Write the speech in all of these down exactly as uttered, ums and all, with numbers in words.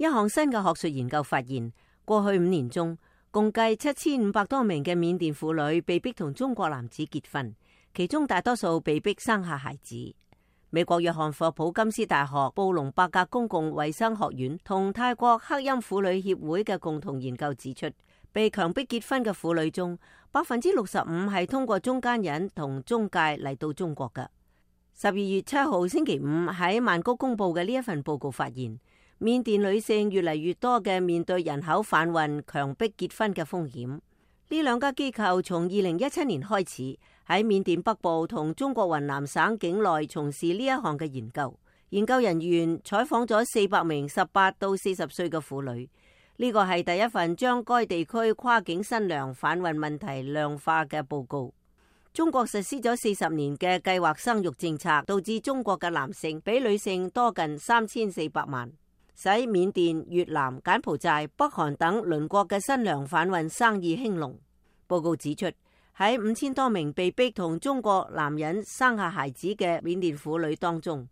一項新嘅學術研究發現，過去五年中，共計七千五百多名嘅緬甸婦女被逼同中國男子結婚，其中大多數被逼生下孩子。美國約翰霍普金斯大學布隆伯格公共衛生學院同泰國克欽婦女協會嘅共同研究指出，被強迫結婚嘅婦女中，百分之六十五係通過中間人同中介嚟到中國嘅。十二月七號星期五喺曼谷公布嘅呢一份報告發現，緬甸女性越嚟越多嘅面對人口販運、強迫結婚嘅風險。呢兩家機構從二零一七年開始喺緬甸北部同中國雲南省境內從事呢一項嘅研究。研究人員採訪咗四百名十八到四十歲嘅婦女，呢個係第一份將該地區跨境新娘販運問題量化嘅報告。中國實施咗四十年嘅計劃生育政策，導致中國嘅男性比女性多近三千四百萬，使緬甸、越南、柬埔寨、北韓等鄰國嘅新娘販運生意興隆。報告指出，喺五千多名被逼同中國男人生下孩子嘅緬甸婦女當中，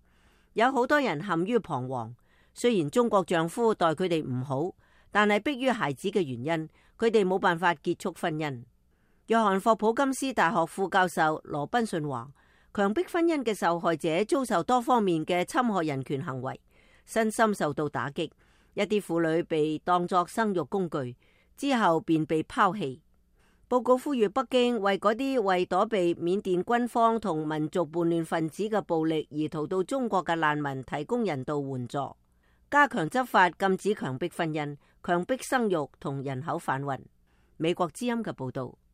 有好多人陷於彷徨。雖然中國丈夫待佢哋唔好，但係迫於孩子嘅原因，佢哋冇辦法結束婚姻。約翰霍普金斯大學副教授羅賓遜話，強迫婚姻嘅受害者遭受多方面嘅侵害人權行為，身心受到打擊。一啲婦女被當作生育工具，之後便被拋棄。報告呼籲北京為嗰啲為躲避緬甸軍方同民族叛亂分子嘅暴力而逃到中國嘅難民提供人道援助，加強執法，禁止強迫婚姻、強迫生育同人口販運。美國之音嘅報道。